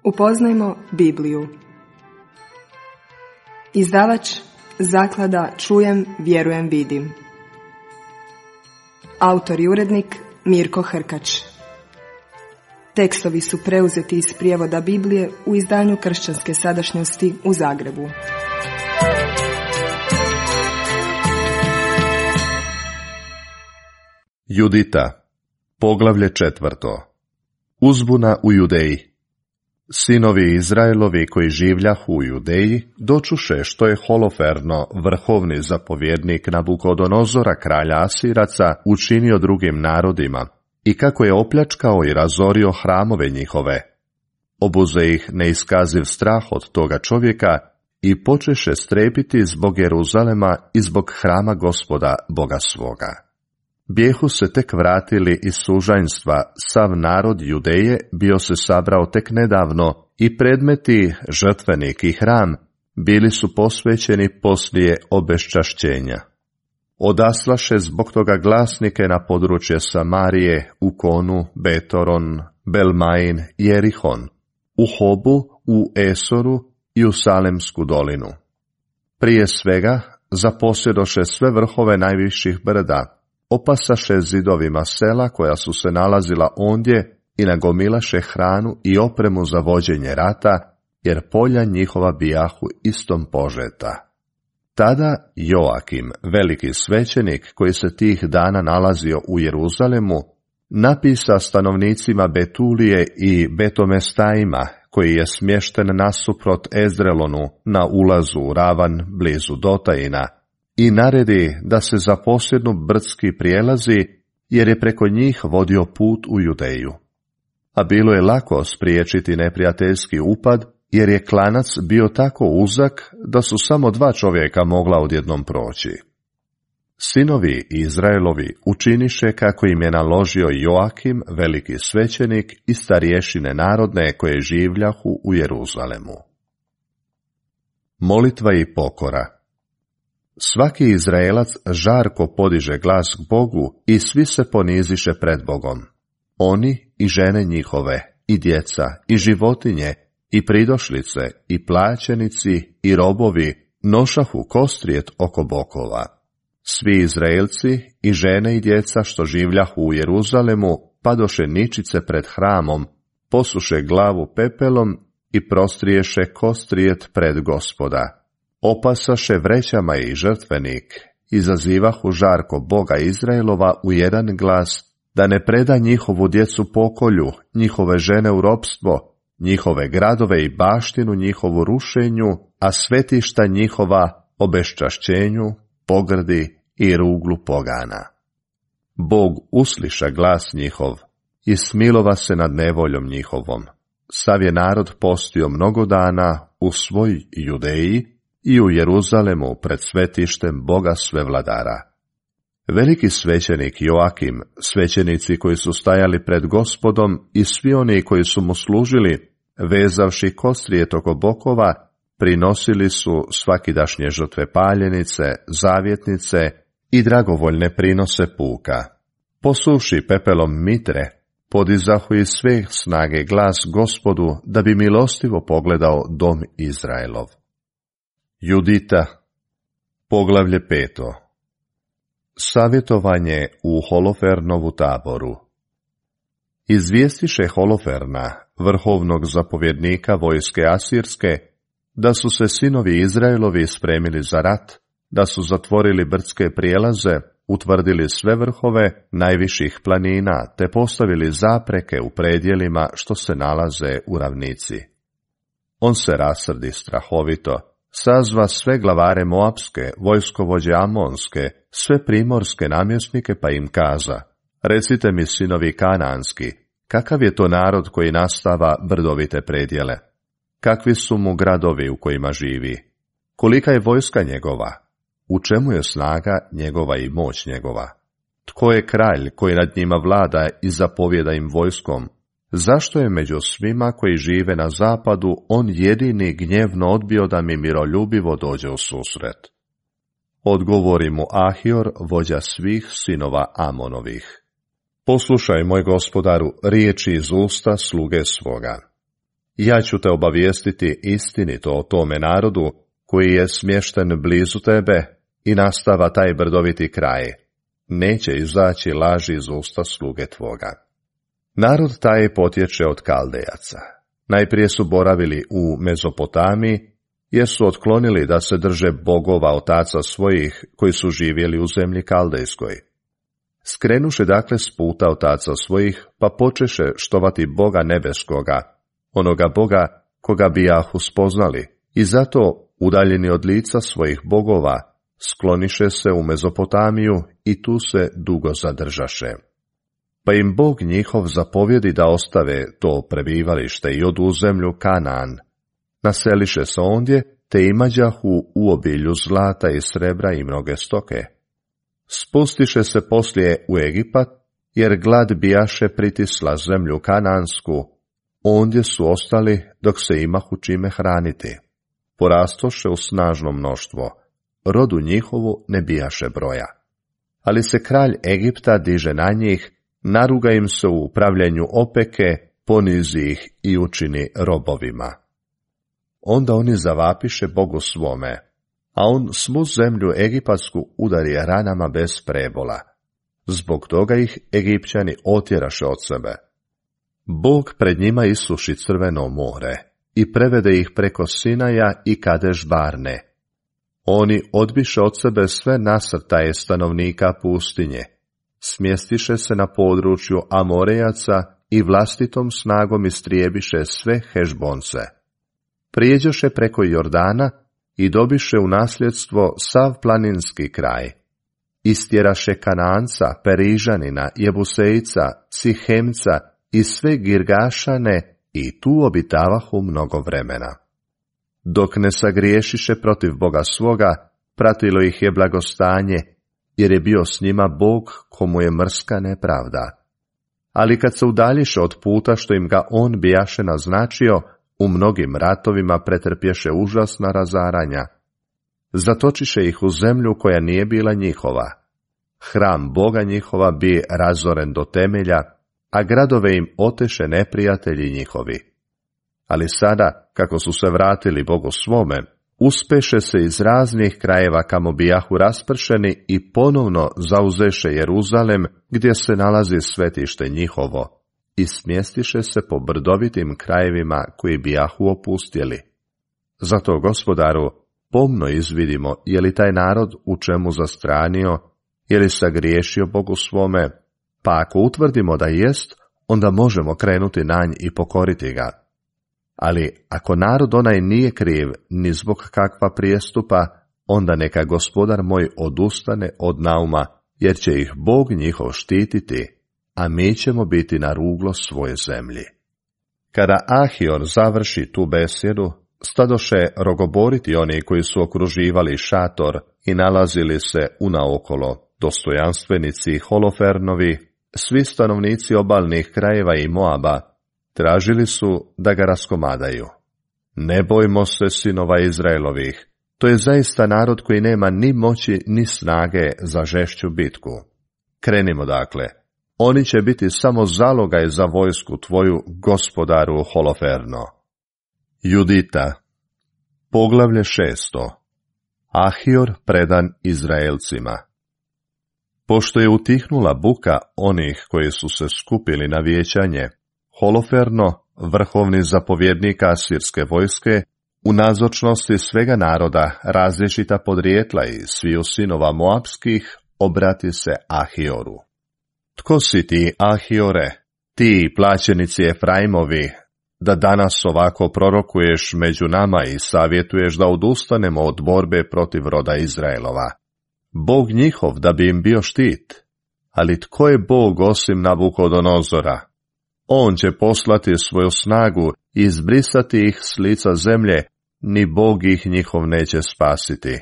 Upoznajmo Bibliju. Izdavač Zaklada Čujem, vjerujem, vidim. Autor i urednik Mirko Hrkač. Tekstovi su preuzeti iz prijevoda Biblije u izdanju Kršćanske sadašnjosti u Zagrebu. Judita, poglavlje 4. Uzbuna u Judeji. Sinovi Izraelovi koji življahu u Judeji dočuše što je Holoferno, vrhovni zapovjednik Nabukodonozora, kralja Asiraca, učinio drugim narodima i kako je opljačkao i razorio hramove njihove. Obuze ih neiskaziv strah od toga čovjeka i počeše strepiti zbog Jeruzalema i zbog hrama Gospoda, Boga svoga. Bijehu se tek vratili iz sužanjstva, sav narod Judeje bio se sabrao tek nedavno i predmeti, žrtvenik i hram, bili su posvećeni poslije obeščašćenja. Odaslaše zbog toga glasnike na područje Samarije, Ukonu, Betoron, Belmain, Jerihon, u Hobu, u Esoru i u Salemsku dolinu. Prije svega zaposjedoše sve vrhove najviših brda, opasaše zidovima sela koja su se nalazila ondje i nagomilaše hranu i opremu za vođenje rata, jer polja njihova bijahu istom požeta. Tada Joakim, veliki svećenik koji se tih dana nalazio u Jeruzalemu, napisa stanovnicima Betulije i Betomestajima, koji je smješten nasuprot Ezdrelonu na ulazu u ravan blizu Dotajina, i naredi da se zaposjednu brdski prijelazi, jer je preko njih vodio put u Judeju. A bilo je lako spriječiti neprijateljski upad, jer je klanac bio tako uzak da su samo 2 čovjeka mogla odjednom proći. Sinovi Izraelovi učiniše kako im je naložio Joakim, veliki svećenik, i starješine narodne koje življahu u Jeruzalemu. Molitva i pokora. Svaki Izraelac žarko podiže glas k Bogu i svi se poniziše pred Bogom. Oni i žene njihove, i djeca, i životinje, i pridošlice, i plaćenici, i robovi nošahu kostrijet oko bokova. Svi Izraelci i žene i djeca što življahu u Jeruzalemu padoše ničice pred hramom, posuše glavu pepelom i prostriješe kostrijet pred Gospoda. Opasaše vrećama i žrtvenik, izazivahu žarko Boga Izraelova u jedan glas, da ne preda njihovu djecu pokolju, njihove žene u ropstvo, njihove gradove i baštinu njihovu rušenju, a svetišta njihova obeščašćenju, pogrdi i ruglu pogana. Bog usliša glas njihov i smilova se nad nevoljom njihovom. Sav je narod postio mnogo dana u svoj Judeji i u Jeruzalemu pred svetištem Boga Svevladara. Veliki svećenik Joakim, svećenici koji su stajali pred Gospodom i svi oni koji su mu služili, vezavši kostrijet oko bokova, prinosili su svakidašnje žrtve paljenice, zavjetnice i dragovoljne prinose puka. Posuši pepelom mitre, podizahu iz sve snage glas Gospodu, da bi milostivo pogledao dom Izraelov. Judita, poglavlje 5. Savjetovanje u Holofernovu taboru. Izvijestiše Holoferna, vrhovnog zapovjednika vojske Asirske, da su se sinovi Izraelovi spremili za rat, da su zatvorili brdske prijelaze, utvrdili sve vrhove najviših planina, te postavili zapreke u predjelima što se nalaze u ravnici. On se rasrdi strahovito, sazva sve glavare Moapske, vojskovođe Amonske, sve primorske namjesnike, pa im kaza: recite mi, sinovi Kanaanski, kakav je to narod koji nastava brdovite predjele? Kakvi su mu gradovi u kojima živi? Kolika je vojska njegova? U čemu je snaga njegova i moć njegova? Tko je kralj koji nad njima vlada i zapovjeda im vojskom? Zašto je među svima koji žive na zapadu on jedini gnjevno odbio da mi miroljubivo dođe u susret? Odgovori mu Ahior, vođa svih sinova Amonovih: poslušaj, moj gospodaru, riječi iz usta sluge svoga. ja ću te obavijestiti istinito o tome narodu koji je smješten blizu tebe i nastava taj brdoviti kraj. Neće izaći laži iz usta sluge tvoga. Narod taj potječe od Kaldejaca. Najprije su boravili u Mezopotamiji, jer su otklonili da se drže bogova otaca svojih koji su živjeli u zemlji Kaldejskoj. Skrenuše dakle s puta otaca svojih, pa počeše štovati Boga nebeskoga, onoga Boga koga bijahu spoznali, i zato, udaljeni od lica svojih bogova, skloniše se u Mezopotamiju i tu se dugo zadržaše. Pa im Bog njihov zapovjedi da ostave to prebivalište i odu u zemlju Kanaan. Naseliše se ondje, te imađahu u obilju zlata i srebra i mnoge stoke. Spustiše se poslije u Egipat, jer glad bijaše pritisla zemlju Kanaansku, ondje su ostali dok se imahu čime hraniti. Porastoše u snažno mnoštvo, rodu njihovu ne bijaše broja. Ali se kralj Egipta diže na njih, naruga im se u upravljanju opeke, ponizi ih i učini robovima. Onda oni zavapiše Bogu svome, a on svu zemlju egipatsku udari ranama bez prebola. Zbog toga ih Egipćani otjeraše od sebe. Bog pred njima isuši crveno more i prevede ih preko Sinaja i Kadeš Barne. Oni odbiše od sebe sve nasrtaje stanovnika pustinje, smjestiše se na području Amorejaca i vlastitom snagom istrijebiše sve Hešbonce. Prijeđoše preko Jordana i dobiše u nasljedstvo sav planinski kraj. Istjeraše Kananca, Perižanina, Jebusejca, Sihemca i sve Girgašane i tu obitavahu mnogo vremena. Dok ne sagriješiše protiv Boga svoga, pratilo ih je blagostanje, jer je bio s njima Bog komu je mrska nepravda. Ali kad se udaljiše od puta što im ga on bijaše naznačio, u mnogim ratovima pretrpješe užasna razaranja. Zatočiše ih u zemlju koja nije bila njihova. Hram Boga njihova bi razoren do temelja, a gradove im oteše neprijatelji njihovi. Ali sada, kako su se vratili Bogu svome, uspeše se iz raznih krajeva kamo bijahu raspršeni i ponovno zauzeše Jeruzalem, gdje se nalazi svetište njihovo, i smjestiše se po brdovitim krajevima koji bijahu opustjeli. Zato, Gospodaru, pomno izvidimo je li taj narod u čemu zastranio, je li sagriješio Bogu svome, pa ako utvrdimo da jest, onda možemo krenuti na nj i pokoriti ga. Ali ako narod onaj nije kriv ni zbog kakva prijestupa, onda neka Gospodar moj odustane od nauma, jer će ih Bog njihov štititi, a mi ćemo biti na ruglo svoje zemlji. Kada Ahior završi tu besjedu, stadoše rogoboriti oni koji su okruživali šator i nalazili se unaokolo, dostojanstvenici Holofernovi, svi stanovnici obalnih krajeva i Moaba, tražili su da ga raskomadaju. Ne bojmo se, sinova Izraelovih, to je zaista narod koji nema ni moći ni snage za žešću bitku. Krenimo dakle, oni će biti samo zalogaj za vojsku tvoju, Gospodaru Holoferno. Judita, poglavlje 6. Ahior predan Izraelcima. Pošto je utihnula buka onih koji su se skupili na vijećanje, Holoferno, vrhovni zapovjednik asirske vojske, u nazočnosti svega naroda, različita podrijetla i sviju sinova Moapskih, obrati se Ahioru. Tko si ti, Ahiore, ti plaćenici Efraimovi, da danas ovako prorokuješ među nama i savjetuješ da odustanemo od borbe protiv roda Izraelova? Bog njihov da bi im bio štit. Ali tko je Bog osim Nabukodonozora? On će poslati svoju snagu i izbrisati ih s lica zemlje, ni Bog ih njihov neće spasiti.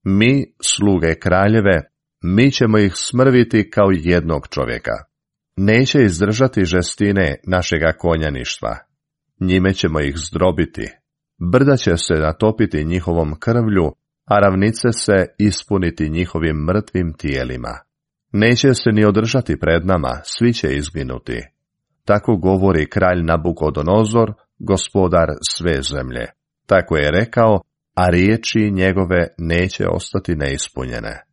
Mi, sluge kraljeve, mi ćemo ih smrviti kao jednog čovjeka. Neće izdržati žestine našega konjaništva. Njime ćemo ih zdrobiti. Brda će se natopiti njihovom krvlju, a ravnice se ispuniti njihovim mrtvim tijelima. Neće se ni održati pred nama, svi će izginuti. Tako govori kralj Nabukodonozor, gospodar sve zemlje. Tako je rekao, a riječi njegove neće ostati neispunjene.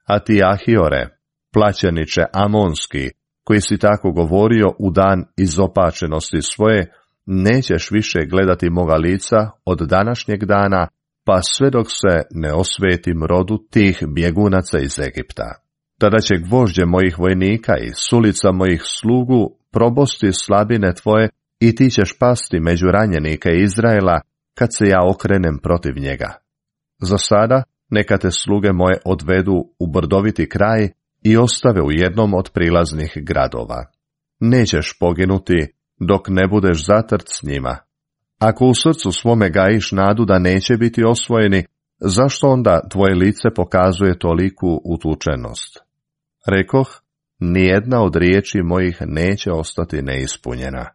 A ti, Ahiore, plaćeniče Amonski, koji si tako govorio u dan izopačenosti svoje, nećeš više gledati moga lica od današnjeg dana, pa sve dok se ne osvetim rodu tih bjegunaca iz Egipta. Tada će gvožđe mojih vojnika i sulica mojih slugu probosti slabine tvoje i ti ćeš pasti među ranjenike Izraela kad se ja okrenem protiv njega. Za sada neka te sluge moje odvedu u brdoviti kraj i ostave u jednom od prilaznih gradova. Nećeš poginuti dok ne budeš zatrt s njima. Ako u srcu svome gajiš nadu da neće biti osvojeni, zašto onda tvoje lice pokazuje toliku utučenost? Rekoh, nijedna od riječi mojih neće ostati neispunjena.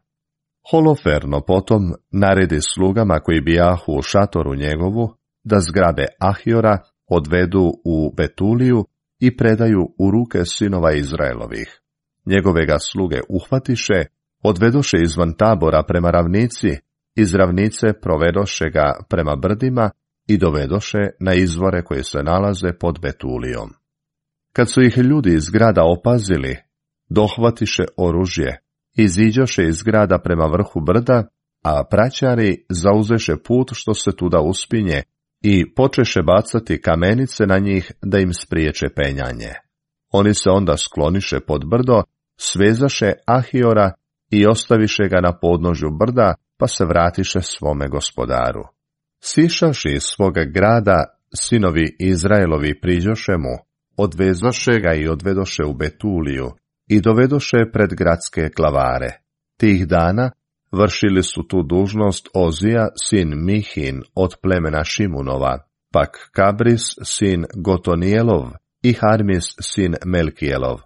Holoferno potom naredi slugama koji bijahu u šatoru njegovu, da zgrabe Ahiora odvedu u Betuliju i predaju u ruke sinova Izraelovih. Njegove ga sluge uhvatiše, odvedoše izvan tabora prema ravnici, iz ravnice provedoše ga prema brdima i dovedoše na izvore koji se nalaze pod Betulijom. Kad su ih ljudi iz grada opazili, dohvatiše oružje, iziđoše iz grada prema vrhu brda, a praćari zauzeše put što se tuda uspinje i počeše bacati kamenice na njih da im spriječe penjanje. Oni se onda skloniše pod brdo, svezaše Ahiora i ostaviše ga na podnožju brda, pa se vratiše svome gospodaru. Sišavši iz svoga grada, sinovi Izraelovi priđoše mu, odvezoše ga i odvedoše u Betuliju i dovedoše pred gradske glavare. Tih dana vršili su tu dužnost Ozija, sin Mihin, od plemena Šimunova, pak Kabris, sin Gotonijelov i Harmis, sin Melkijelov.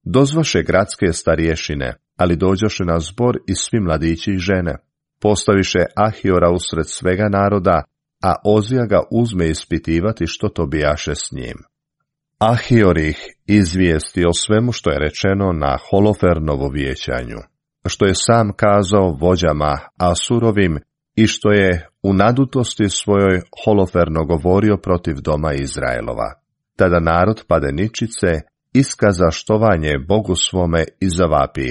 Dozvaše gradske starješine, ali dođoše na zbor i svi mladići i žene. Postaviše Ahiora usred svega naroda, a Ozija ga uzme ispitivati što to bijaše s njim. Ahior ih izvijesti o svemu što je rečeno na Holofernovo vijećanju, što je sam kazao vođama Asurovim i što je u nadutosti svojoj Holoferno govorio protiv doma Izraelova. Tada narod pade ničice, iskaza štovanje Bogu svome i zavapi: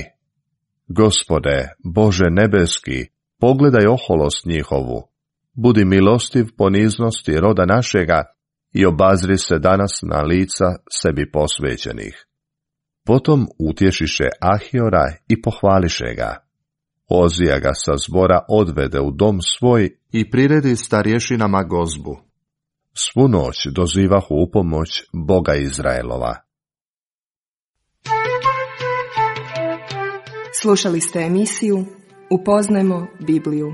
Gospode, Bože nebeski, pogledaj oholost njihovu, budi milostiv poniznosti roda našega i obazri se danas na lica sebi posvećenih. Potom utješiše Ahiora i pohvališe ga. Ozija ga sa zbora odvede u dom svoj i priredi starješinama gozbu. Svu noć dozivahu u pomoć Boga Izraelova. Slušali ste emisiju Upoznajmo Bibliju.